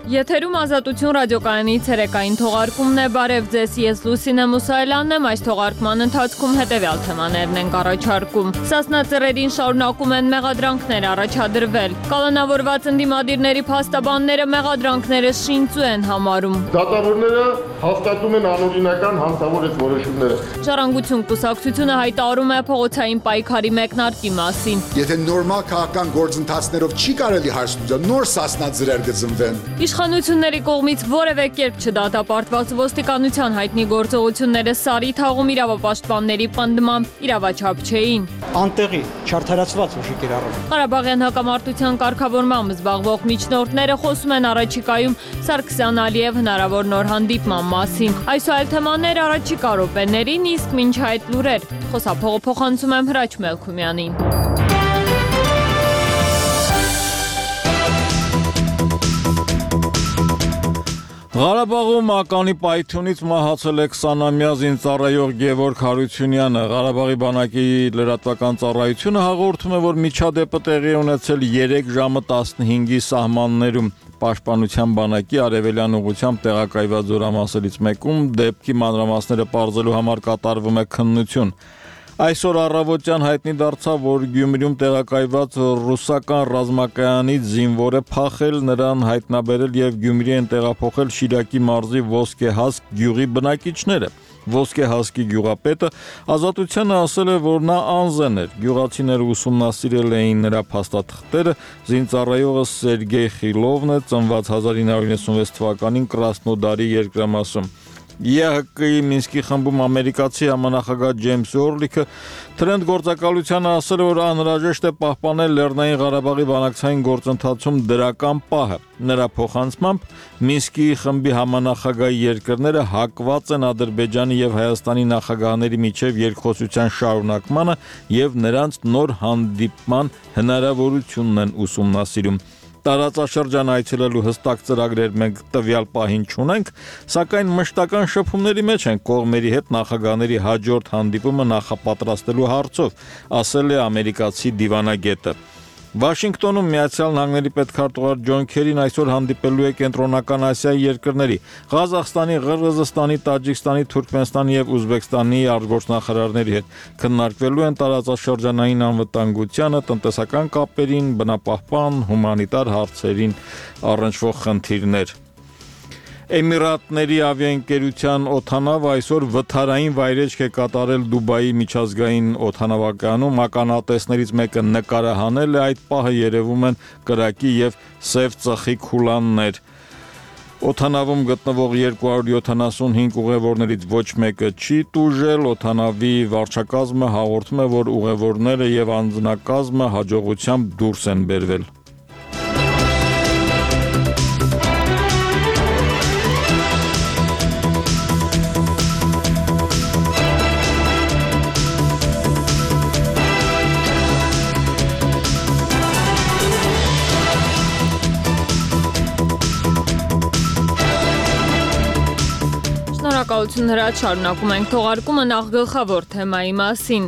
Եթերում Ազատություն ռադիոկայանի ցերեկային թողարկումն է, բարև ձեզ, ես Լուսինե Մուսայելյանն եմ, այս թողարկման ընթացքում հետևյալ թեմաներն ենք առաջարկում։ Սասնա ծռերին շարունակում են մեղադրանքներ առաջադրվել։ Կալանավորված ընդդիմադիրների փաստաբանները մեղադրանքները շինծու են համարում։ Դատավորները հաստատում են անօրինական հանցավոր որոշումները։ Ժառանգություն կուսակցությունը հայտարարում է փողոցային պայքարի մեկնարկի մասին։ Եթե նորմալ քաղաքական գործընթացներով չի կարելի հարցնել, նոր սասնա ծռեր կծնվեն։ Իշխանությունների կողմից որևէ կերպ չդատապարտված ոստիկանության հայտնի գործողությունները Սարի թաղում իրավապաշտպանների պնդմամբ իրավաչափ չէին։ Անտեղի չարդարացված ուժի կիրառում։ Ղարաբաղյան հակամարտության կարգավորմամբ զբաղվող միջնորդները խոսում են առաջիկայում Սարգսյան Ալիև հնարավոր նոր հանդիպման մասին։ Այս ու այլ թեմաներ առաջիկա րոպեներին, իսկ մինչ այդ լուրեր։ Խոսափողը փոխանցում եմ Հրաչ Մելքումյանին։ Ղարաբաղում ականի պայթյունից մահացել է 20-ամյա զինծառայող Գևորգ Հարությունյանը։ Ղարաբաղի բանակի լրատվական ծառայությունը հաղորդում է, որ միջադեպը տեղի ունեցել 3 ժամը 15-ի սահմաններում։ Պաշտպանության բանակի արևելյան ուղղությամբ տեղակայված զորամասերից մեկում դեպքի մանրամասները պարզելու համար կատարվում է քննություն։ Այսօր առավոտյան հայտնի դարձավ, որ Գյումրիում տեղակայված ռուսական ռազմակայանից զինվոր է փախել, նրան հայտնաբերել եւ Գյումրի են տեղափոխել Շիրակի մարզի Ոսկեհասկ գյուղի բնակիչները։ Ոսկեհասկի գյուղապետը Ազատությանը ասել է, որ նա անզեն էր։ Գյուղացիները ուսումնասիրել էին նրա փաստաթղթերը։ Զինծառայողը Սերգեյ Խիլովն է, ծնված 1996 թվականին Կրասնոդարի երկրամասում։ ԵՀԿ-ի Մինսկի խմբում ամերիկացի համանախագահ Ջեյմս Օրլիքը Թրենդ գործակալությանը ասել է, որ անհրաժեշտ է պահպանել Լեռնային Ղարաբաղի բանակցային գործընթացում դրական պահը։ Նրա փոխանցմամբ Մինսկի խմբի համանախագահի երկրները հակված են Ադրբեջանի եւ Հայաստանի նախագահների միջև երկխոսության շարունակմանը եւ նրանց նոր հանդիպման հնարավորությունն են ուսումնասիրում։ Տարածաշրջան այցելելու հստակ ծրագրեր մենք տվյալ պահին չունենք, սակայն մշտական շփումների մեջ են կողմերի հետ նախագահների հաջորդ հանդիպումը նախապատրաստելու հարցով, ասել է ամերիկացի դիվանագետը։ Վաշինգտոնում Միացյալ Նահանգների պետքարտուղար Ջոն Քերին այսօր հանդիպելու է Կենտրոնական Ասիայի երկրների Ղազախստանի, Ղրղզստանի, Տաջիկստանի, Թուրքմենստանի եւ Ուզբեկստանի արտգործնախարարների հետ։ Քննարկվելու են տարածաշրջանային անվտանգությանը, տնտեսական կապերին, բնապահպան, հումանիտար հարցերին առնչվող խնդիրներ։ Էմիրատների ավիաընկերության օդանավը այսօր վթարային վայրեջք է կատարել Դուբայի միջազգային օդանավակայանում, ականատեսներից մեկը նկարահանել է այդ պահը, երևում են կրակի եւ սև ծխի քուլաններ։ Օդանավում գտնվող 275 ուղևորներից ոչ մեկը չի տուժել, օդանավի վարչակազմը հաղորդում է, որ ուղևորները եւ անձնակազմը հաջողությամբ դուրս են բերվել։ Շնորհակալություն Հրաչ, շարունակում ենք թողարկումը նախ գլխավոր թեմայի մասին։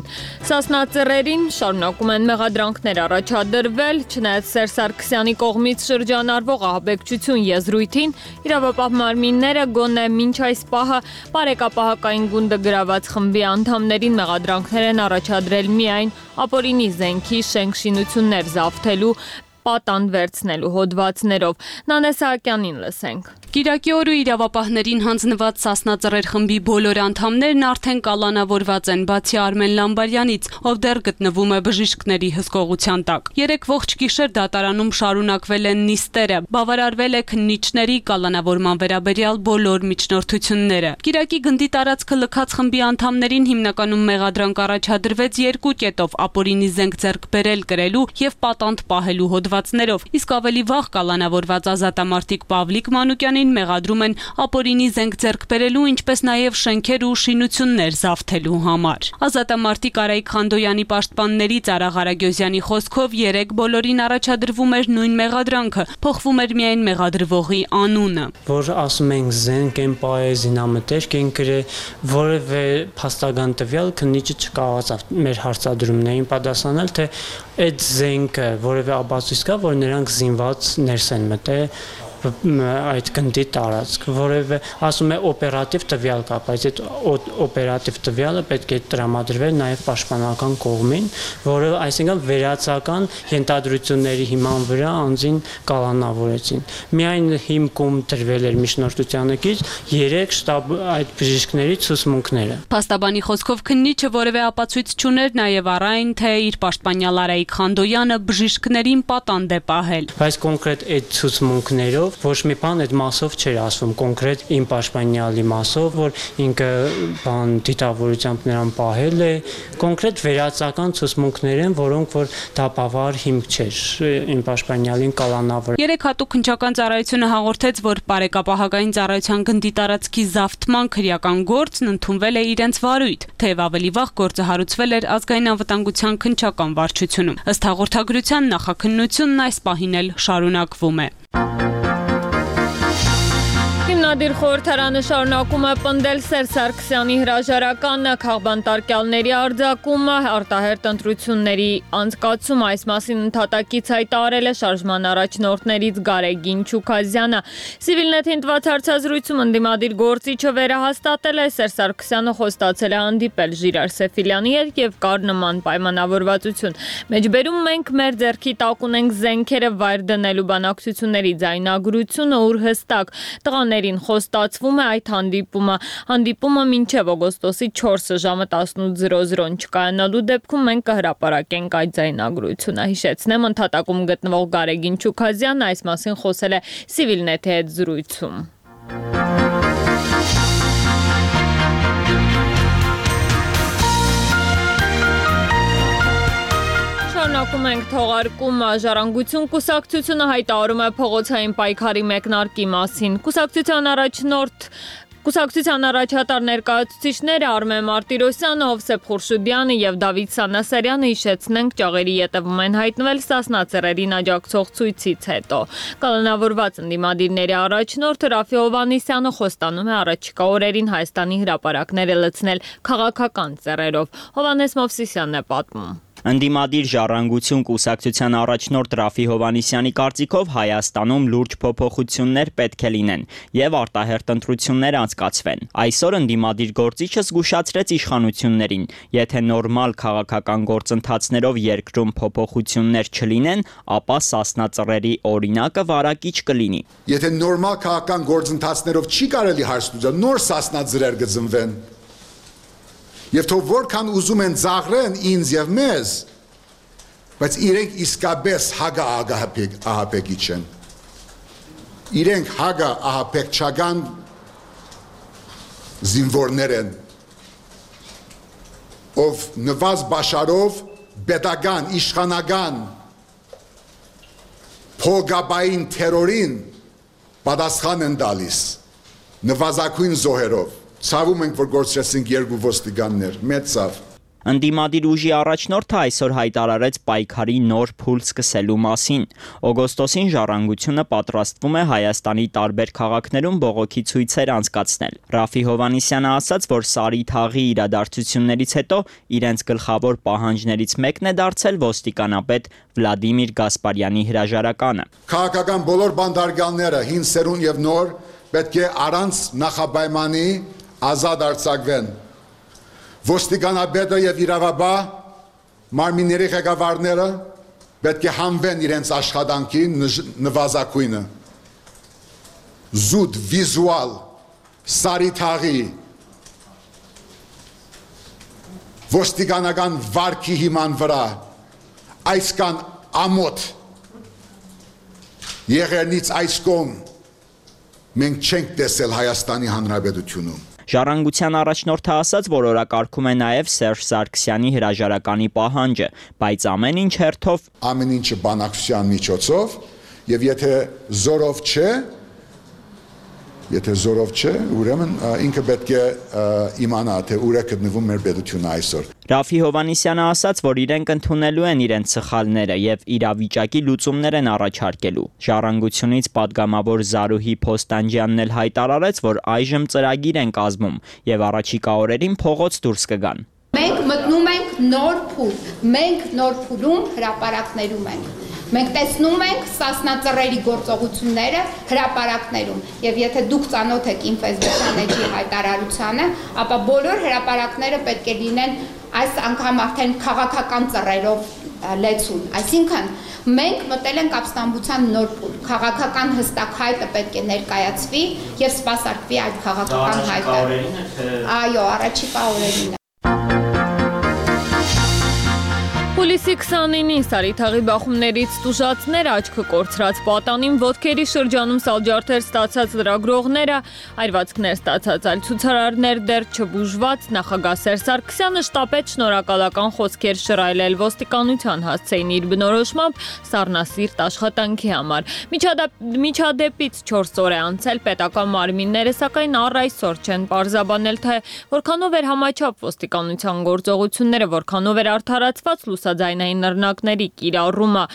Սասնա ծռերին շարունակում են մեղադրանքներ առաջադրվել, չնայած Սերժ Սարգսյանի կողմից շրջանառվող ահաբեկչություն եզրույթին, իրավապահ մարմինները գոնե մինչ այս պահը բարեկապահական գունդը գրաված խմբի անդամներին մեղադրանքներ են առաջադրել միայն ապօրինի զենքի շենքշինություններ զավթելու պատանդ վերցնելու հոդվածներով։ Նանե Սահակյանին լսենք։ Կիրակի օրը իրավապահներին հանձնված Սասնա ծռեր խմբի բոլոր անդամներն արդեն կալանավորված են, բացի Արմեն Լամբարյանից, ով դեռ գտնվում է բժիշկների հսկողության տակ։ 3 ողջ գիշեր դատարանում շարունակվել են նիստերը, բավարարվել է քննիչների կալանավորման վերաբերյալ բոլոր միջնորդությունները։ Կիրակի գնդի տարածքը լքած խմբի անդամներին հիմնականում մեղադրանք առաջադրվեց 2 կետով՝ ապօրինի զենք ձեռք բերել կրելու եւ պատանդ պահելու հոդվածներով, իսկ ավելի վաղ կալանավորված ազատամարտիկ Պավլիկ Մանուկյանին մեղադրում են ապօրինի զենք ձեռք բերելու, ինչպես նաև շենքեր ու շինություններ զավթելու համար։ Ազատամարտիկ Արայիկ Խանդոյանի պաշտպանների Ծարաղ Արագյոզյանի խոսքով 3 բոլորին առաջադրվում էր նույն մեղադրանքը, փոխվում էր միայն մեղադրվողի անունը։ Որ ասում ենք զենք են պահել, զինամթերք են գրել, որևէ փաստական տվյալ քննիչը չկարողացավ մեր հարցադրումներին պատասխանել, թե այդ զենքը որևէ ապացույց կա, որ նրանք զինված ներս են մտել այդ գնդի տարածք, որևէ ասում է օպերատիվ տվյալ կա, բայց այդ օպերատիվ տվյալը պետք է տրամադրվեր նաև պաշտպանական կողմին, որը այսինքն վերացական ենթադրությունների հիման վրա անձին կալանավորեցին։ Միայն հիմքում դրվել էր միջնորդությանը կից 3 շտաբ այդ բժիշկների ցուցմունքները։ Փաստաբանի խոսքով քննիչը որևէ ապացույց չուներ նաև առայն, թե իր պաշտպանյալ Արայիկ Խանդոյանը բժիշկներին պատանդ է պահել։ Բայց կոնկրետ այդ ցուցմունքներով ոչ մի բան այդ մասով չէր ասվում, կոնկրետ իմ պաշտպանյալի մասով, որ ինքը բան դիտավորությամբ նրան պահել է, կոնկրետ վերացական ցուցմունքներ են, որոնք որ դապավար հիմք չէր իմ պաշտպանյալին կալանավորել։ 3 հատուկ քննչական ծառայությունը հաղորդեց, որ բարեկապահական ծառայության գնդի տարածքի զավթման քրեական գործն ընդունվել է իրենց վարույթ, թեև ավելի վաղ գործը հարուցվել էր ազգային անվտանգության քննչական վարչությունում։ Ըստ հաղորդագրության նախաքննությունն այս պահին էլ շարունակվում է։ Հիմնադիր խորհրդարանը շարունակում է պնդել Սերժ Սարգսյանի հրաժարականը, քաղբանտարկյալների արձակումը, արտահերթ ընտրությունների անցկացումը, այս մասին ընդհատակից հայտարարել է շարժման առաջնորդներից Գարեգին Չուքազյանը։ Civilnet-ին տված հարցազրույցում ընդդիմադիր գործիչը վերահաստատել է Սերժ Սարգսյանը խոստացել է հանդիպել Ժիրայր Սեֆիլյանի հետ եւ կար նման պայմանավորվածություն։ Մեջբերում մենք մեր ձեռքի տակ ունենք զենքերը վայր դնելու բանակցությունների ձայնագրությունը, ուր հստակ տղաներին խոստացվում է այդ հանդիպումը մինչև օգոստոսի 4-ը ժամը 18:00-ն չկայանալու դեպքում մենք կհրապարակենք այդ ձայնագրությունը։ Հիշեցնեմ, ընդհատակում գտնվող Գարեգին Չուքազյանն այս մասին խոսել է Civilnet-ի հետ զրույցում։ Շարունակում ենք թողարկումը։ Ժառանգություն կուսակցությունը հայտարարում է փողոցային պայքարի մեկնարկի մասին։ Կուսակցության առաջատար ներկայացուցիչները Արմեն Մարտիրոսյանը, Հովսեփ Խուրշուդյանը եւ Դավիթ Սանասարյանը հիշեցնենք ճաղերի ետևում են հայտնվել Սասնա-Ծռերին աջակցող ցույցից հետո։ Կալանավորված ընդդիմադիրների առաջնորդը Ռաֆի Հովհաննիսյանը խոստանում է առաջիկա օրերին Հայաստանի հրապարակները լցնել քաղաքական ծռերով։ Հովհաննես Մովսիսյանն է պատմում։ Ընդդիմադիր ժառանգություն կուսակցության առաջնորդ Ռաֆի Հովհաննիսյանի կարծիքով Հայաստանում լուրջ փոփոխություններ պետք է լինեն եւ արտահերթ ընտրություններ անցկացվեն։ Այսօր ընդդիմադիր գործիչը զգուշացրեց իշխանություններին, եթե նորմալ քաղաքական գործընթացներով երկրում փոփոխություններ չլինեն, ապա Սասնա-Ծռերի օրինակը վարակիչ կլինի։ Եթե նորմալ քաղաքական գործընթացներով չի կարելի հարց լուծել, նոր Սասնա-Ծռեր կծնվեն։ Եվ թող որքան ուզում են ծաղրեն ինձ եւ մեզ, բայց իրենք իսկապես հագա ահապեկի չեն։ Իրենք հագա ահապեկչական զինվորներ են, ով նվազ բաշարով պետական, իշխանական փողաբային թերորին պատասխան են տալիս նվազագույն զոհերով։ Ցավում ենք, որ գործեցինք 2 ոստիկաններ, մեծ ցավ։ Ընդդիմադիր ուժի առաջնորդը այսօր հայտարարեց պայքարի նոր փուլ սկսելու մասին։ Օգոստոսին ժառանգությունը պատրաստվում է Հայաստանի տարբեր քաղաքներում բողոքի ցույցեր անցկացնել։ Ռաֆի Հովհաննիսյանը ասաց, որ Սարի թաղի իրադարձություններից հետո իրենց գլխավոր պահանջներից մեկն է դարձել ոստիկանապետ Վլադիմիր Գասպարյանի հրաժարականը։ Քաղաքական բոլոր բանդարգալները, հին սերուն եւ նոր, պետք է առանց նախապայմանի ազատ արձակվեն։ Ոստիկանապետը եւ իրավաբան մարմինների ղեկավարները պետք է հանվեն իրենց աշխատանքի նվազագույնը։ Զուտ վիզուալ Սարի թաղի ոստիկանական վարքի հիման վրա այսքան ամոթ եղերնից այս կողմ մենք չենք տեսել Հայաստանի Հանրապետությունում։ Ժառանգության առաջնորդը ասաց, որ օրակարգում է նաև Սերժ Սարգսյանի հրաժարականի պահանջը, բայց ամեն ինչ հերթով ամեն ինչը բանակցության միջոցով եւ եթե զորով չէ, ուրեմն ինքը պետք է իմանա, թե ուր է գտնվում մեր պետությունը այսօր։ Ռաֆի Հովհաննիսյանը ասաց, որ իրենք ընդունելու են իրենց սխալները եւ իրավիճակի լուծումներ են առաջարկելու։ Ժառանգությունից падգամավոր Զարուհի Փոստանջյանն էլ հայտարարեց, որ այժմ ծրագիր են կազմում եւ առաջիկա օրերին փողոց դուրս կգան։ Մենք մտնում ենք նոր փուլ, մենք նոր փուլում հրապարակներում ենք։ Մենք տեսնում ենք Սասնա գործողությունները հրապարակներում, եւ եթե դուք ծանոթ եք Ինֆեսբեթան էջի հայտարարությանը, ապա բոլոր հրապարակները պետք է լինեն այս անգամ արդեն քաղաքական ծռերով լեցուն, այսինքն մենք մտել ենք ապստամբության նոր փուլ, քաղաքական հստակ հայտը պետք է ներկայացվի եւ սպասարկվի այդ քաղաքական հայտը։ Այո, առաջիկա օրերին։ Հուլիսի 29-ին Սարիթաղի բախումներից տուժածներ աչքը կորցրած պատանին ոտքերի շրջանում սալջարդեր ստացած լրագրողները, այրվածքներ ստացած այլ ցուցարարներ դեռ չբուժված նախագահ Սերժ Սարգսյանը շտապեց շնորհակալական խոսքեր շռայլել ոստիկանության հասցեին իր բնորոշմամբ սառնասիրտ աշխատանքի համար։ Միջադեպից 4 օր է անցել, պետական մարմինները սակայն առ այսօր չեն պարզաբանել, թե որքանով էր համաչափ ոստիկանության գործողությունները, որքանով էր արդարացված լուսաձայնային նռնակների կիրառումը։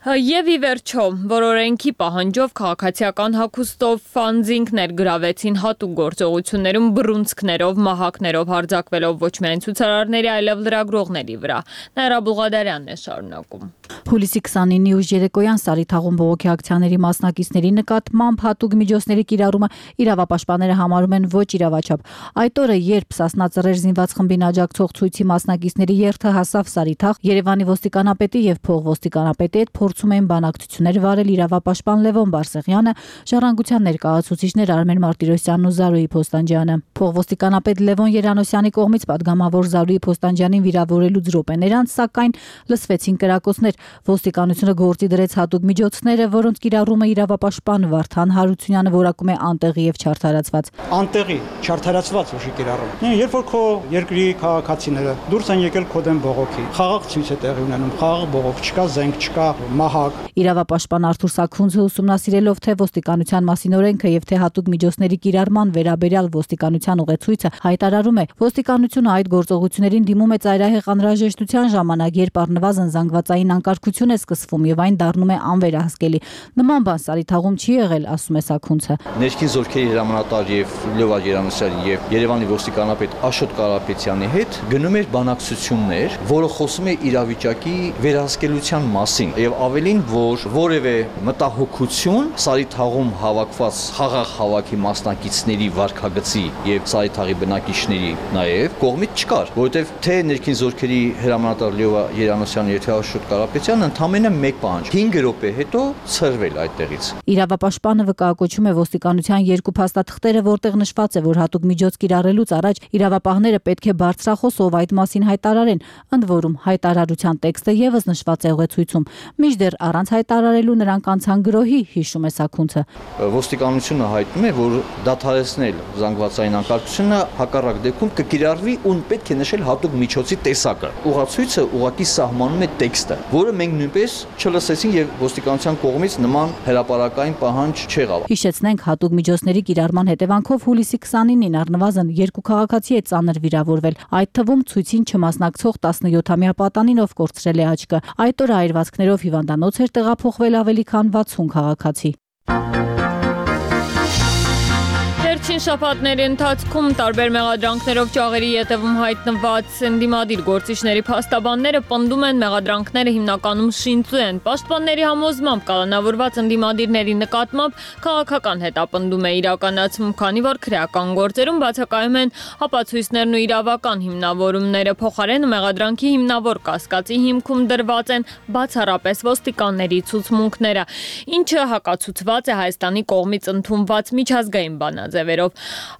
Եվ ի վերջո, որ օրենքի պահանջով քաղաքացիական հագուստով ֆանզինգներ գրավեցին հատուկ գործողություններում բռունցքներով, մահակներով հարձակվելով ոչ միայն ցուցարարների, այլև լրագրողների վրա։ Նաիրա Բուղադարյանն է շարունակում։ Հուլիսի 29-ի ուշ երեկոյան Սարիթաղում բողոքի ակցիաների մասնակիցների նկատմամբ հատուկ միջոցների կիրառումը իրավապաշտպանները համարում են ոչ իրավաչափ։ Այդ օրը, երբ Սասնա ծռեր զինված խմբին աջակցող ցույցի մասնակիցների երթը հասավ Սարիթաղ, Երևանի ոստիկանապետի եւ փողոստիկանապետի հետ փորձում էին բանակցություններ վարել իրավապաշտպան Լևոն Բարսեղյանը, ժառանգության ներկայացուցիչներ Արմեն Մարտիրոսյանն ու Զարուհի Փոստանջյանը։ Փողոստիկանապետ Լևոն Երանոսյանի կողմից падգամավոր Զարուհի Փոստանջյանին վիրավորելուց րոպեներ անց, սակայն լսվեցին կրակոցներ։ Ոստիկանությունը գործի դրեց հատուկ միջոցները, որոնց կիրառումը իրավապաշտպան Վարդան Հարությունյանը որակում է անտեղի եւ չարդարացված։ Անտեղի, չարդարացված ուժի կիրառում։ Երբ որ քո երկրի քաղաքացիները դուրս են եկել քո դեմ բողոքի, խաղաղ ցույց է տեղի ունենում, խաղաղ բողոք չկա, զենք չկա, մահակ։ Իրավապաշտպան Արթուր Սաքունցը ուսումնասիրելով թե ոստիկանության մասին օրենքը եւ թե հատուկ միջոցների կիրառման վերաբերյալ ոստիկանության ուղեցույցը հայտարարում է, ոստիկանությունը այդ գործողություններին դիմում է ծայրահեղ անհրաժեշտության ժամանակ, երբ առնվազն զանգվածային անկարգություն է սկսվում եւ այն դառնում է անվերահսկելի։ Նման բան Սարիթաղում չի եղել, ասում է Սաքունցը։ Ներքին զորքերի հրամանատար եւ Լևա Երանոսյանի եւ Երևանի ոստիկանապետ Աշոտ Կարապետյանի հետ գնում էր բանակցություններ, որը խոսում է իրավիճակի վերահսկելիության մասին եւ ավելին, որ որևէ մտահոգություն Սարիթաղում հավաքված խաղաղ հավաքի մասնակիցների վարքագծի եւ Սարիթաղի բնակիչների նաեւ կողմից չկար, որովհետեւ թե ներքին զորքերի հրամանատար Լևա Երանոսյանը եւ Աշոտ Կարապետյանն ընդամենը մեկ պահանջ 5 րոպե հետո ցրվել այդտեղից։ Իրավապաշտպանը վկայակոչում է ոստիկանության երկու փաստաթղթերը, որտեղ նշված է, որ հատուկ միջոց կիրառելուց առաջ իրավապահները պետք է բարձրախոսով այդ մասին հայտարարեն, ընդ որում հայտարարության տեքստը եւս նշված է ուղեցույցում։ Մինչդեռ առանց հայտարարելու նրանք անցան գրոհի, հիշում է Սաքունցը։ Ոստիկանությունը հայտնում է, որ դադարեցնել զանգվածային անկարգությունը հակառակ դեպքում կկիրառվի ու պետք է նշել հատուկ միջոցի տեսակը։ Ուղղացույցը ուղղակի սահմանում է տեքստը, որը մենք նույնպես չլսեցին եւ ոստիկանության կողմից նման հրապարակային պահանջ չեղավ։ Հիշեցնենք, հատուկ միջոցների կիրառման հետևանքով հուլիսի 29-ին առնվազն 2 քաղաքացի է ծանր վիրավորվել, այդ թվում ցույցին չմասնակցող 17-ամյա պատանին, ով կորցրել է աչքը։ Այդ օրը այրվածքներով հիվանդանոց էր տեղափոխվել ավելի քան 60 քաղաքացի։ Վերջին շաբաթների ընթացքում տարբեր մեղադրանքներով ճաղերի ետևում հայտնված ընդդիմադիր գործիչների փաստաբանները պնդում են, մեղադրանքները հիմնականում շինծու են։ Պաշտպանների համոզմամբ կալանավորված ընդդիմադիրների նկատմամբ քաղաքական հետապնդում է իրականացվում, քանի որ քրեական գործերում բացակայում են ապացույցներն ու իրավական հիմնավորումները, փոխարենը մեղադրանքի հիմնավոր կասկածի հիմքում դրված են բացառապես ոստիկանների ցուցմունքները, ինչը հակացուցված է Հայաստանի կողմից ընդունված միջազգային բանաձևերով։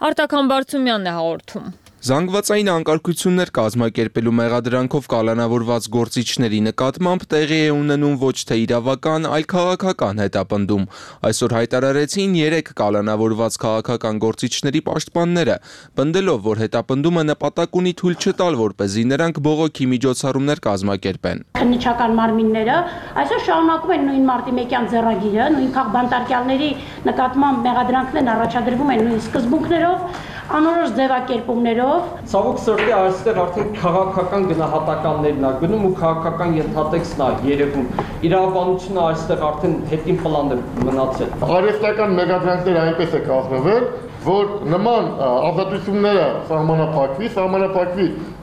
Արտակ Համբարձումյանն է հաղորդում։ Զանգվածային անկարգություններ կազմակերպելու մեղադրանքով կալանավորված գործիչների նկատմամբ տեղի է ունենում ոչ թե իրավական, այլ քաղաքական հետապնդում։ Այսօր հայտարարեցին 3 կալանավորված քաղաքական գործիչների պաշտպանները, պնդելով, որ հետապնդումը նպատակ ունի թույլ չտալ, որպեսզի նրանք բողոքի միջոցառումներ կազմակերպեն։ Քննիչական մարմինները այսօր շարունակում են նույն մարտի 1-յան ձեռագիրը, նույն քաղբանտարկյալների նկատմամբ մեղադրանքներն առաջադրվում են նույն սկզբունքներով, անորոշ ձևակերպումներով։ Ցավոք սրտի այստեղ արդեն քաղաքական գնահատականներն է գնում ու քաղաքական ենթատեքստն է երևում։ Իրավաբանությունը այստեղ արդեն հետին պլան է մնացել։ Արհեստական մեղադրանքները այնպես է կազմվել, որ նման ազատությունները սահմանափակվի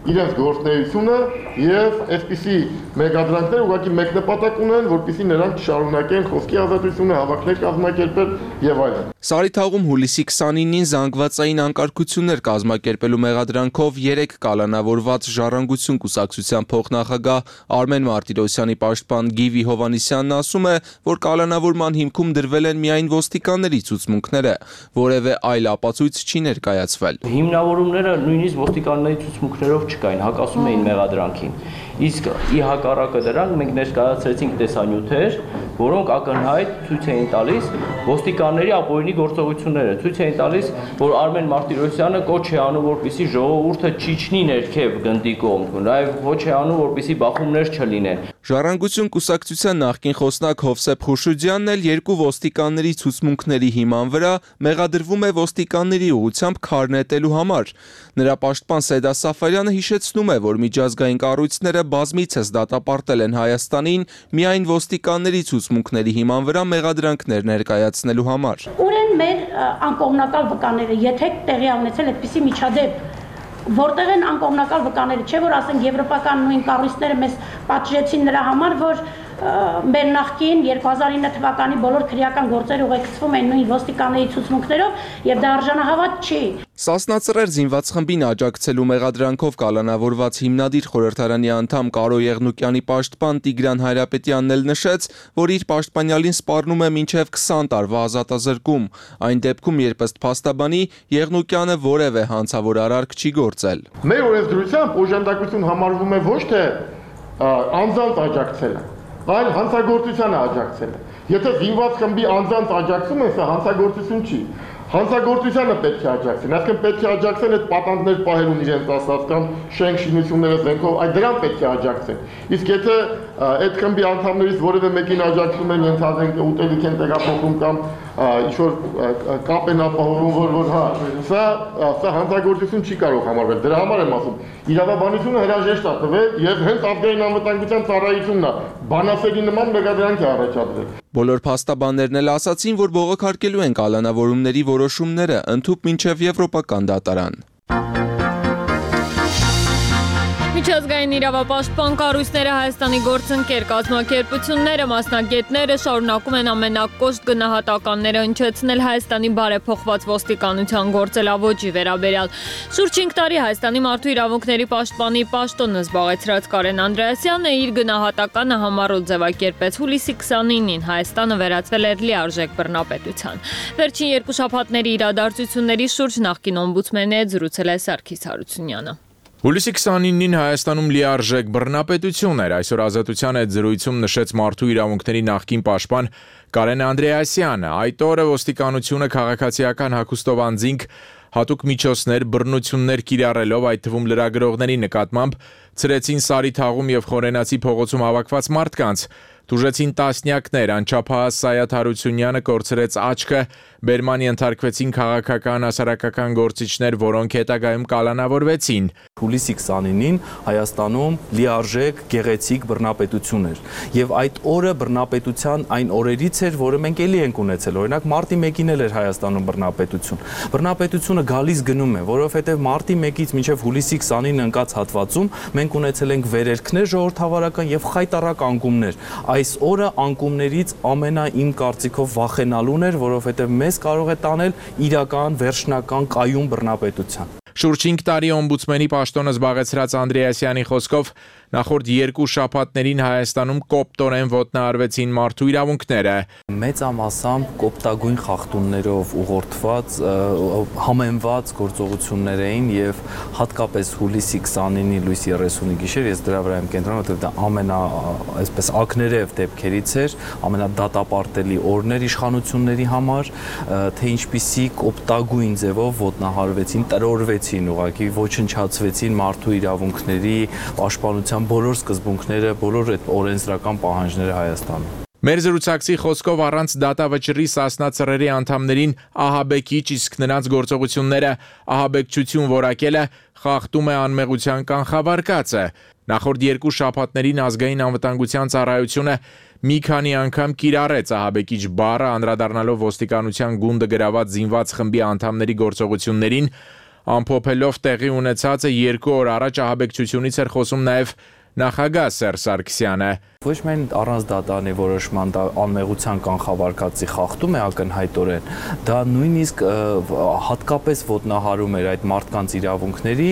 իրենց գործունեությունը եւ այսպիսի մեկադրանքներ ուղղակի մեկ նպատակ ունեն, որպեսզի նրանք շարունակեն խոսքի ազատությունը, հավաքներ կազմակերպել եւ այլն։ Սարիթաղում հուլիսի 29-ին զանգվածային անկարգություններ կազմակերպելու մեղադրանքով 3 կալանավորված Ժառանգություն կուսակցության փոխնախագահ Արմեն Մարտիրոսյանի պաշտպան Գիվի Հովանիսյանն ասում է, որ կալանավորման հիմքում դրվել են միայն ոստիկանների ցուցմունքները, որևէ այլ ապացույց չի ներկայացվել։ Հիմնավորումները նույնիսկ ոստիկանների ցուցմունքներով չկային, հակասում էին մեղադրանքին։ Իսկ ի հակառակը դրանք մենք ներկայացրեցինք տեսանյութեր, որոնք ակնհայտ ցույց էին տալիս ոստիկանների ապօրինի գործողությունները, ցույց էին տալիս, որ Արմեն Մարտիրոսյանը կոչ է անում, որպեսզի ժողովուրդը չիջնի ներքև գնդի կողմ, նաև ոչ է անում, որպեսզի բախումներ չլինեն։ Ժառանգություն կուսակցության նախկին խոսնակ Հովսեփ Խուշուջյանն էլ 2 ոստիկանների ցուցմունքների հիման վրա մեղադրվում է ոստիկանների ուղղությամբ քար նետելու համար։ Նրա պաշտպան Սեդա Սաֆարյանը հիշեցնում է, որ միջազգային կառույցները բազմիցս դատապարտել են Հայաստանին միայն ոստիկանների ցուցմունքների հիման վրա մեղադրանքներ ներկայացնելու համար։ Ուր են մեր անկողմնակալ վկաները, եթե տեղի ունեցել այդպիսի միջադեպ, որտեղ են անկողմնակալ վկաները, չէ՞ որ ասենք եվրոպական նույն կառույցները մեզ պատժեցին նրա համար, որ մեր նախկին 2009 թվականի բոլոր քրեական գործերը ուղեկցվում են նույն ոստիկանների ցուցմունքներով եւ դա արժանահավատ չի։ Սասնածռեր զինված խմբին աջակցելու մեղադրանքով կալանավորված հիմնադիր խորհրդարանի անդամ Կարո Եղնուկյանի պաշտպան Տիգրան Հայրապետյանն էլ նշեց, որ իր պաշտպանյալին սպառնում է մինչև 20 տարվա ազատազրկում, այն դեպքում, երբ ըստ փաստաբանի Եղնուկյանը որևէ հանցավոր արարք չի գործել։ Մեր օրենսդրությամբ օժանդակություն համարվում է ոչ թե անձանց աջակցելը, այլ հանցագործությանը աջակցելը։ Եթե զինված խմբի անձանց աջակցում են, սա հանցագործություն չի։ Հանցագործությանը պետք է աջակցեն, այսինքն պետք է աջակցեն այդ պատանդներ պահելուն իրենց ասած կամ շենք շինությունները զենքով, այդ դրան պետք է աջակցեն։ Իսկ եթե այդ խմբի անդամներից որևէ մեկին աջակցում են, ենթադրենք ուտելիք են տեղափոխում կամ ինչ-որ կապ են ապահովում, որ հա, սա հանցագործություն չի կարող համարվել։ Դրա համար եմ ասում, իրավաբանությունը հրաժեշտ է տվել եւ հենց ազգային անվտանգության ծառայությունն է բանասերի նման մեղադրանք է առաջադրել։ Բոլոր փաստաբաններն էլ ասացին, որ բողոքարկելու են կալանավորումների որոշումները ընդհուպ մինչև եվրոպական դատարան։ Միջազգային իրավապաշտպան կառույցները, Հայաստանի գործընկեր կազմակերպությունները, մասնագետները շարունակում են ամենակոշտ գնահատականները հնչեցնել Հայաստանի բարեփոխված ոստիկանության գործելավոճի վերաբերյալ։ Շուրջ 5 տարի Հայաստանի մարդու իրավունքների պաշտպանի պաշտոնը զբաղեցրած Կարեն Անդրեասյանը իր գնահատականը համառոտ ձևակերպեց հուլիսի 29-ին Հայաստանը վերածվել էր լիարժեք բռնապետության։ Վերջին 2 շաբաթների իրադարձությունների շուրջ նախկին օմբուդսմենի հետ զրուցել է Սարգիս Հարությունյանը։ Հուլիսի 29-ին Հայաստանում լիարժեք բռնապետություն էր, այսօր Ազատության հետ զրույցում նշեց մարդու իրավունքների նախկին պաշտպան Կարեն Անդրեասյանը։ Այդ օրը ոստիկանությունը քաղաքացիական հագուստով անձինք հատուկ միջոցներ, բռնություններ կիրառելով, այդ թվում լրագրողների նկատմամբ, ցրեցին Սարիթաղում եւ Խորենացի փողոցում հավաքված մարդկանց, տուժեցին տասնյակներ, անչափահաս Սայաթ Հարությունյանը կորցրեց աչքը, բերման ենթարկվեցին քաղաքական հասարակական գործիչներ, որոնք հետագայում կալանավորվեցին։ Հուլիսի 29-ին Հայաստանում լիարժեք գեղեցիկ բռնապետություն էր եւ այդ օրը բռնապետության այն օրերից էր, որը մենք էլի ենք ունեցել։ Օրինակ մարտի 1-ին էլ էր Հայաստանում բռնապետություն։ Բռնապետությունը գալիս գնում է, որովհետեւ մարտի 1-ից մինչեւ հուլիսի 29-ը ընկած հատվածում մենք ունեցել ենք վերերքներ ժողովրդավարական եւ խայտառակ անկումներ։ Այս օրը անկումներից իմ կարծիքով վախենալուն էր, որովհետեւ մեզ կարող է տանել իրական վերջնական կայուն բռնապետության։ Շուրջ 5 տարի օմբուդսմենի պաշտոնը զբաղեցրած Անդրեասյանի խոսքով նախորդ 2 շաբաթներին Հայաստանում կոպտորեն ոտնահարվեցին մարդու իրավունքները։ Մեծամասամբ կոպտագույն խախտումներով ուղղորդված համեմված գործողություններ էին եւ հատկապես հուլիսի 29-ի լույս 30-ի գիշեր ես դրա վրա եմ կենտրոնում, որովհետեւ դա այսպես ակներև դեպքերից էր, ամենադատապարտելի օրներ իշխանությունների համար, թե ինչպիսի կոպտագույն ձևով ոտնահարվեցին, տրորվեցին, ուղղակի ոչնչացվեցին մարդու իրավունքների պաշտպանության բոլոր սկզբունքները, բոլոր այդ օրենսդրական պահանջները Հայաստանում։ Մեր զրուցակցի խոսքով առանց դատավճռի Սասնա ծռերի անդամներին ահաբեկիչ, իսկ նրանց գործողությունները ահաբեկչություն որակելը խախտում է անմեղության կանխավարկածը։ Նախորդ 2 շաբաթներին ազգային անվտանգության ծառայությունը մի քանի անգամ կիրառեց ահաբեկիչ բառը, անդրադառնալով ոստիկանության գունդը գրաված զինված խմբի անդամների գործողություններին, Ամփոփելով տեղի ունեցածը 2 օր առաջ ահաբեկչությունից էր խոսում նաև նախագահ Սերժ Սարգսյանը։ Ոչ միայն առանց դատանի որոշման դա անմեղության կանխավարկածի խախտում է ակնհայտորեն, դա նույնիսկ հատկապես ոտնահարում էր այդ մարդկանց իրավունքների,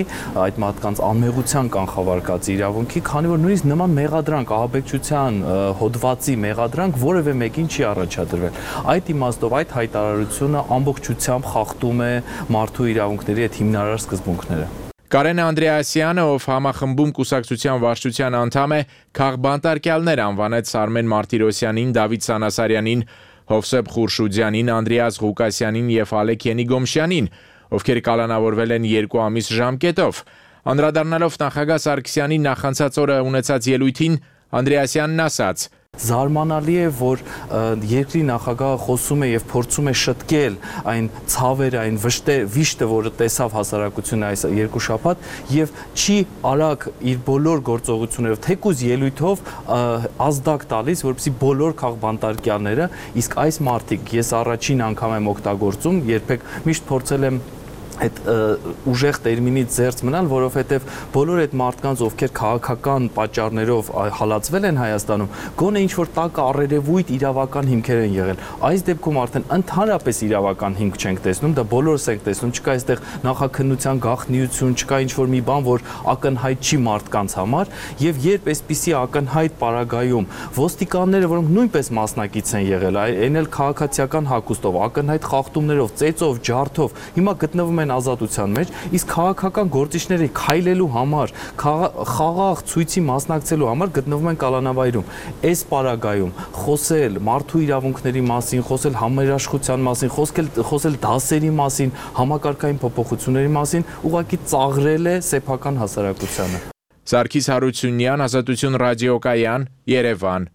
այդ մարդկանց անմեղության կանխավարկածի իրավունքի, քանի որ նույնիսկ նման մեղադրանք, ահաբեկչության հոդվածի մեղադրանք որևէ մեկին չի առաջադրվել։ Այդ իմաստով այդ հայտարարությունը ամբողջությամբ խախտում է մարդու իրավունքների այդ հիմնարար սկզբունքները։ Կարեն Անդրեասյանը, ով համախմբում կուսակցության վարչության անդամ է, քաղբանտարկյալներ անվանեց Արմեն Մարտիրոսյանին, Դավիթ Սանասարյանին, Հովսեփ Խուրշուդյանին, Անդրեաս Ղուկասյանին եւ Ալեք Ենիգոմշյանին, ովքեր կալանավորվել են 2 ամիս ժամկետով։ Անդրադառնալով նախագահ Սարգսյանի նախանցած օրը ունեցած ելույթին, Անդրեասյանն ասաց. Զարմանալի է, որ երկրի նախագահը խոսում է եւ փորձում է շտկել այն ցավերը, այն վիշտը, որը տեսավ հասարակությունը այս 2 շաբաթ եւ չի արագ իր բոլոր գործողություններով, թեկուզ ելույթով ազդակ տալիս, որպեսզի բոլոր քաղբանտարկյալները, իսկ այս մարդիկ ես առաջին անգամ եմ օգտագործում, երբեք միշտ փորձել եմ այդ ուժեղ տերմինից զերծ մնալ, որովհետև բոլոր այդ մարդկանց, ովքեր քաղաքական պատճառներով հալածվել են Հայաստանում, գոնե ինչ-որ տակ առերևույթ իրավական հիմքեր են եղել։ Այս դեպքում արդեն ընդհանրապես իրավական հիմք չենք տեսնում, դա բոլորս ենք տեսնում, չկա այստեղ նախաքննության գաղտնիություն, չկա ինչ-որ մի բան, որ ակնհայտ չի մարդկանց համար, եւ երբ այսպիսի ակնհայտ պարագայում ոստիկանները, որոնք նույնպես մասնակից են եղել, այն էլ քաղաքացիական հագուստով, ակնհայտ խախտումներով, ծեծով, ջարդով, հիմա գտնվում են ազատության մեջ, իսկ քաղաքական գործիչների քայլելու համար, խաղաղ ցույցի մասնակցելու համար գտնվում են կալանավայրում։ Այս պարագայում խոսել մարդու իրավունքների մասին, խոսել համերաշխության մասին, խոսել դասերի մասին, համակարգային փոփոխությունների մասին, ուղղակի ծաղրել է սեփական հասարակությանը։ Սարգիս Հարությունյան, Ազատություն ռադիոկայան, Երևան։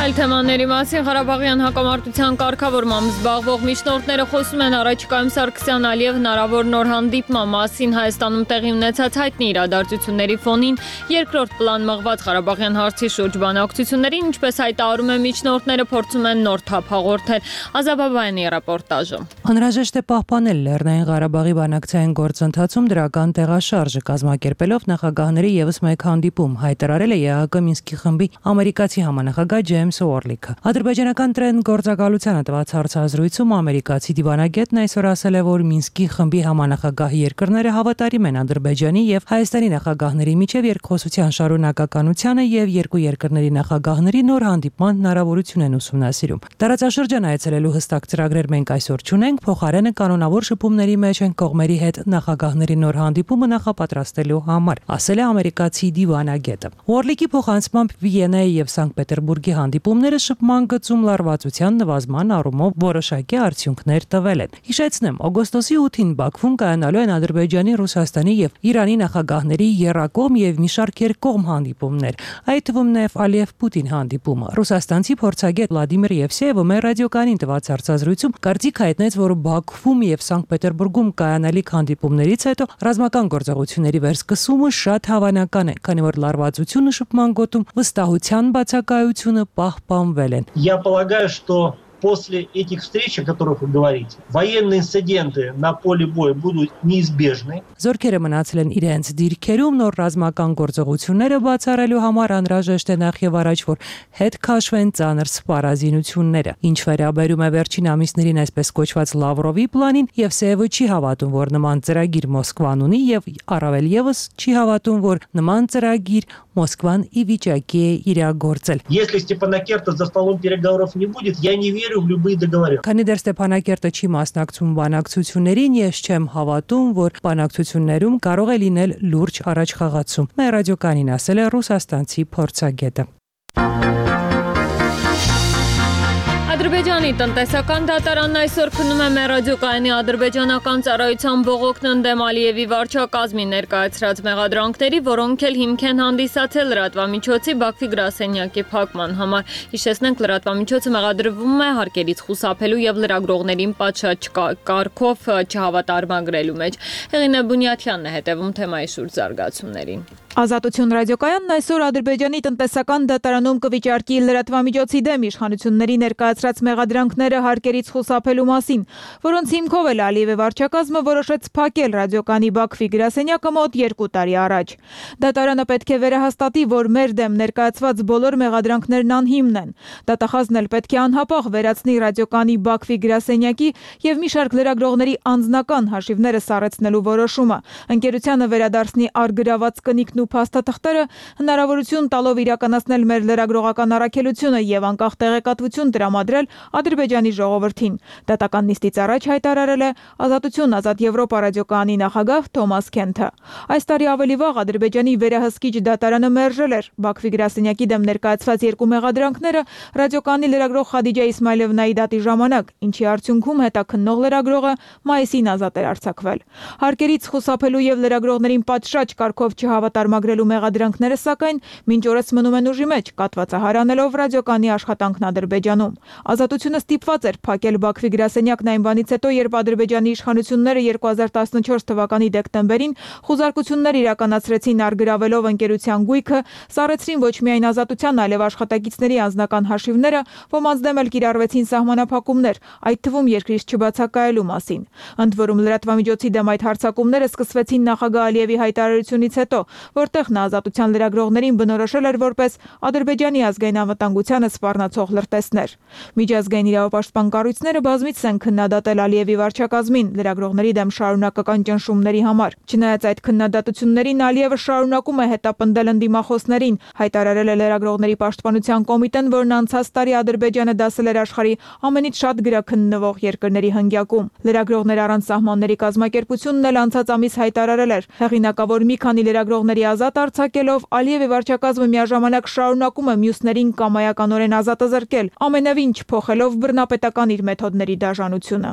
Այլ թեմաների մասին Ղարաբաղյան հակամարտության կարգավորմամբ զբաղվող միջնորդները խոսում են առաջիկայում Սարգսյան-Ալիև հնարավոր նոր հանդիպման մասին Հայաստանում տեղի ունեցած հայտնի իրադարձությունների ֆոնին երկրորդ պլան մղված Ղարաբաղյան հարցի շուրջ բանակցություններին, ինչպես հայտարարում են միջնորդները, փորձում են նոր թափ հաղորդել։ Ազաբաբայանի ռեպորտաժը։ Անհրաժեշտ է պահպանել Լեռնային Ղարաբաղի բանակցային գործընթացում դրական տեղաշարժը կազմակերպելով նախագահների եւս մեկ հանդիպում, հայտարարել է ԵԱՀԿ Մինսկի խմբի ամերիկացի համանախագահ Ջեյմս Օրլիքը։ Ադրբեջանական տրեն գործակալությանը տված հարցազրույցում ամերիկացի դիվանագետն այսօր ասել է, որ Մինսկի խմբի համանախագահ երկրները հավատարիմ են Ադրբեջանի եւ Հայաստանի նախագահների միջև երկխոսության շարունակականությանը եւ երկու երկրների նախագահների նոր հանդիպման հնարավորություն են ուսումնասիրում։ Տարածաշրջան այցելելու հստակ ծրագրեր մենք այսօր չունենք, փոխարենը կանոնավոր շփումների մեջ են կողմերի հետ նախագահների նոր հանդիպումը նախապատրաստելու համար, ասել է ամերիկացի դիվանագետը։ Օրլիկի փոխանցմամբ Վիեննայի եւ Սանկտ Պետերբուրգի հանդիպումները շփման գծում լարվածության նվազման առումով որոշակի արդյունքներ տվել են։ Հիշեցնեմ, օգոստոսի 8-ին Բաքվում կայանալու են Ադրբեջանի, Ռուսաստանի եւ Իրանի նախագահների եռակողմ եւ մի շարք երկկողմ հանդիպումներ, այդ թվում նաեւ Ալիև-Պուտին հանդիպումը։ Ռուսաստանցի փորձագետ Վլադիմիր Եվսեևը մեր ռադիոկայանին տված հարցազրույցում կարծիք հայտնեց, որ Բաքվում եւ Սանկտ Պետերբուրգում կայանալիք հանդիպումներից հետո ռազմական գործողությունների վերսկսումը շատ հավանական է, քանի որ լարվածությունը շփման գոտում վստահության բացակայությունը պահպանվել են։ Я полагаю, что после этих встреч, о которых вы говорите, военные инциденты на поле боя будут неизбежны. Զորքերը մնացել են իրենց դիրքերում, նոր ռազմական գործողությունները բացառելու համար անհրաժեշտ է նախ եւ առաջ, որ հետ քաշվեն ծանր սպառազինությունները։ Ինչ վերաբերում է վերջին ամիսներին այսպես կոչված Լավրովի պլանին, Եվսեևը չի հավատում, որ նման ծրագիր Մոսկվան ունի եւ առավել եւս չի հավատում, որ նման ծրագիր Մոսկվան ի վիճակի է իրագործել։ Если Степанакерта за столом переговоров не будет, я не верю в любые договоренности. Քանի դեռ Ստեփանակերտը չի մասնակցում բանակցություններին, ես չեմ հավատում, որ բանակցություններում կարող է լինել լուրջ առաջխաղացում։ Մեր ռադիոկայանին ասել է ռուսաստանցի փորձագետը։ Ադրբեջանի տնտեսական դատարանն այսօր քննում է մեր ռադիոկայանի ադրբեջանական ծառայության բողոքն ընդդեմ Ալիևի վարչակազմի ներկայացրած մեղադրանքների, որոնք էլ հիմք են հանդիսացել լրատվամիջոցի Բաքվի գրասենյակի փակման համար։ Հիշեցնենք, լրատվամիջոցը մեղադրվում է հարկերից խուսափելու եւ լրագրողներին պատշաճ կարգով չհավատարմագրելու մեջ։ Հեղինե Բունյաթյանն է հետևում թեմայի շուրջ զարգացումներին։ Ազատություն ռադիոկայանն այսօր Ադրբեջանի տնտեսական դատարանում կվիճարկի լրատվամիջոցի դեմ իշխանությունների ներկայացրած մեղադրանքները հարկերից խուսափելու մասին, որոնց հիմքով էլ Ալիևի վարչակազմը որոշեց փակել ռադիոկայանի Բաքվի գրասենյակը մոտ 2 տարի առաջ։ Դատարանը պետք է վերահաստատի, որ մեր դեմ ներկայացված բոլոր մեղադրանքներն անհիմն են։ Դատախազն էլ պետք է անհապաղ վերացնի ռադիոկայանի Բաքվի գրասենյակի եւ մի շարք լրագրողների անձնական հաշիվները սառեցնելու որոշումը։ Ընկերությանը վերադարձնի արգրաված կնիքն ու փաստաթղթերը, հնարավորություն տալով իրականացնել մեր լրագրողական առաքելությունը եւ անկախ տեղեկատվություն տրամադրել Ադրբեջանի ժողովրդին։ Դատական նիստից առաջ հայտարարել է Ազատություն ազատ Եվրոպա ռադիոկայանի նախագահ Թոմաս Քենթը։ Այս տարի ավելի վաղ Ադրբեջանի վերահսկիչ դատարանը մերժել էր Բաքվի գրասենյակի դեմ ներկայացված 2 մեղադրանքները ռադիոկայանի լրագրող Խադիջա Իսմայլովնայի դատի ժամանակ, ինչի արդյունքում հետաքննող լրագրողը մայիսին ազատ էր արձակվել։ Հարկերից խուսափելու եւ լրագրողներին պատշաճ կարգով չհավատարմագրելու մեղադրանքները սակայն մինչ օրս մնում են ուժի մեջ, կատվածահարանելով ռադիոկայանի աշխատանքն Ադրբեջանում։ Ազատությունը ստիպված էր փակել Բաքվի գրասենյակն այն բանից հետո, երբ Ադրբեջանի իշխանությունները 2014 թվականի դեկտեմբերին խուզարկություններ իրականացրեցին արգրավելով ընկերության գույքը, սառեցրին ոչ միայն Ազատության, այլև աշխատակիցների անձնական հաշիվները, ոմանց դեմ էլ կիրառվեցին սահմանափակումներ, այդ թվում երկրից չբացակայելու մասին։ Ընդ որում լրատվամիջոցի դեմ այդ հարձակումները սկսվեցին նախագահ Ալիևի հայտարարությունից հետո, որտեղ նա Ազատության լրագրողներին բնորոշել էր որպես Ադրբեջանի ազգային անվտանգությանը սպառնացող լրտեսներ։ Միջազգային իրավապաշտպան կառույցները բազմիցս են քննադատել Ալիևի վարչակազմին լրագրողների դեմ շարունակական ճնշումների համար։ Չնայած այդ քննադատություններին Ալիևը շարունակում է հետապնդել ընդդիմախոսներին, հայտարարել է լրագրողների պաշտպանության կոմիտեն, որն անցած տարի Ադրբեջանը դասել էր աշխարհի ամենից շատ գրաքննվող երկրների հնգյակում։ Լրագրողներ առանց սահմանների կազմակերպությունն էլ անցած ամիս հայտարարել էր հեղինակավոր մի քանի լրագրողների ազատ արձակելով Ալիևի վարչակազմը միաժամանակ շարունակում է մյուսներին կամայականորեն ազատ զրկել, ամենևին չփոխելով բռնապետական իր մեթոդների դաժանությունը։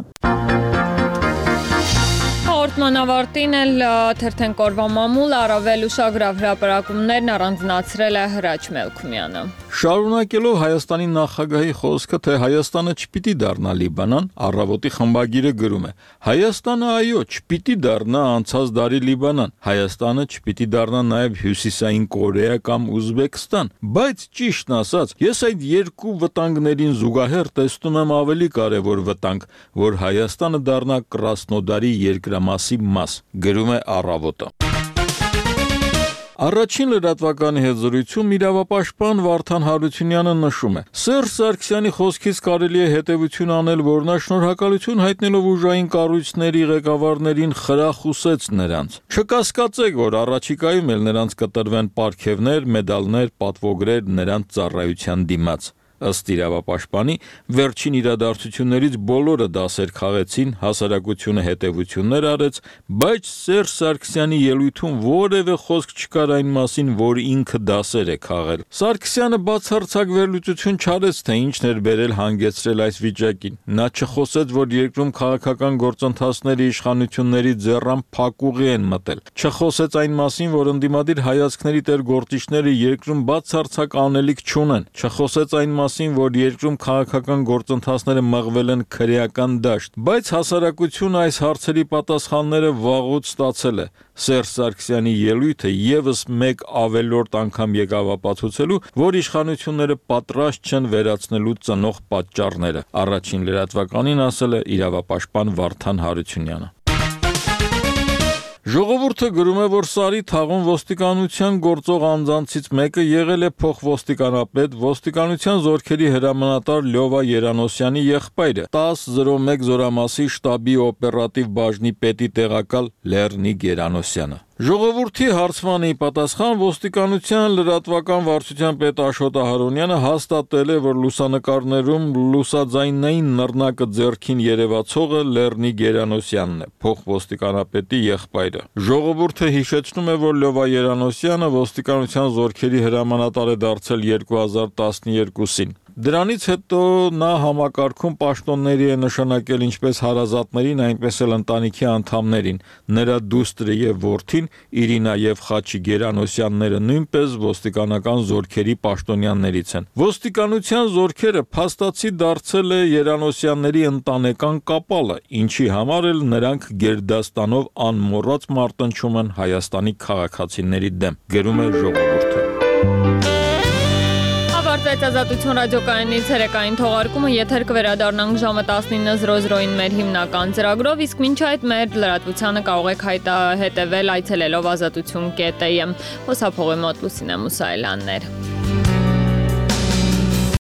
Հաղորդման ավարտին էլ թերթեն կորվա մամուլ առավել ուշագրավ հրապարակումներն առանձնացրել է Հրաչ Մելքումյանը։ Շարունակելով Հայաստանի նախագահի խոսքը, թե Հայաստանը չպիտի դառնա Լիբանան, Առավոտի խմբագիրը գրում է. Հայաստանը այո, չպիտի դառնա անցած դարի Լիբանան, Հայաստանը չպիտի դառնա նաև Հյուսիսային Կորեա կամ Ուզբեկստան, բայց ճիշտն ասած, ես այդ երկու վտանգներին զուգահեռ տեսնում եմ ավելի կարևոր վտանգ, որ Հայաստանը դառնա Կրասնոդարի երկրամասի մաս, գրում է Առավոտը։ Առաջին լրատվականի հետ զրույցում իրավապաշտպան Վարդան Հարությունյանը նշում է. Սերժ Սարգսյանի խոսքից կարելի է հետևություն անել, որ նա շնորհակալություն հայտնելով ուժային կառույցների ղեկավարներին խրախուսեց նրանց։ Չկասկածեք, որ առաջիկայում էլ նրանց կտրվեն պարգևներ, մեդալներ, պատվոգրեր նրանց ծառայության դիմաց։ Ըստ իրավապաշտպանի, վերջին իրադարձություններից բոլորը դասեր քաղեցին, հասարակությունը հետևություններ արեց, բայց Սերժ Սարգսյանի ելույթում որևէ խոսք չկար այն մասին, որ ինքը դասեր է քաղել։ Սարգսյանը բացարձակ վերլուծություն չարեց, թե ինչն էր բերել հանգեցրել այս վիճակին։ Նա չխոսեց, որ երկրում քաղաքական գործընթացները իշխանությունների ձեռամբ փակուղի են մտել։ Չխոսեց այն մասին, որ ընդդիմադիր հայացքների տեր գործիչները երկրում բացարձակ անելիք չունեն։ Չխոսեց այն որ երկրում քաղաքական գործընթացները մղվել են քրեական դաշտ, բայց հասարակությունը այս հարցերի պատասխանները վաղուց ստացել է։ Սերժ Սարգսյանի ելույթը եւս մեկ ավելորդ անգամ եկավ ապացուցելու, որ իշխանությունները պատրաստ չեն վերացնելու ծնող պատճառները։ Առաջին լրատվականին ասել է իրավապաշտպան Վարդան Հարությունյանը։ Ժողովուրդը գրում է, որ Սարի թաղում ոստիկանության գործող անձանցից մեկը եղել է փոխոստիկանապետ ոստիկանության զորքերի հրամանատար Լյովա Երանոսյանի եղբայրը, 1001 զորամասի շտաբի օպերատիվ բաժնի պետի տեղակալ Լեռնիկ Երանոսյանը։ Ժողովրդի հարցմանի պատասխան ոստիկանության լրատվական վարչության պետ Աշոտ Ահարոնյանը հաստատել է, որ լուսանկարներում լուսաձայնային նռնակը ձեռքին երևացողը Լեռնիկ Երանոսյանն է, փոխոստիկանապետի եղբայրը։ Ժողովուրդը հիշեցնում է, որ Լյովա Երանոսյանը ոստիկանության զորքերի հրամանատար է դարձել 2012-ին։ Դրանից հետո նա համակարգում պաշտոնների է նշանակել ինչպես հարազատներին, այնպես էլ ընտանիքի անդամներին։ Նրա դուստրը եւ որդին Իրինա եւ Խաչի Գերանոսյանները նույնպես ոստիկանական զորքերի պաշտոնյաններից են։ Ոստիկանության զորքերը փաստացի դարձել է Երանոսյանների ընտանեկան կապալը, ինչի համար էլ նրանք գերդաստանով անմոռաց մարտնչում են Հայաստանի քաղաքացիների դեմ, գրում է Ժողովուրդը։ Ավարտվեց Ազատություն ռադիոկայանի ցերեկային թողարկումը, եթեր կվերադառնանք ժամը 19:00-ին մեր հիմնական ծրագրով, իսկ մինչ այդ մեր լրատվությանը կարող եք հետևել այցելելով azatutun.am։ Խոսափողի մոտ Լուսինե Մուսայելյաններ։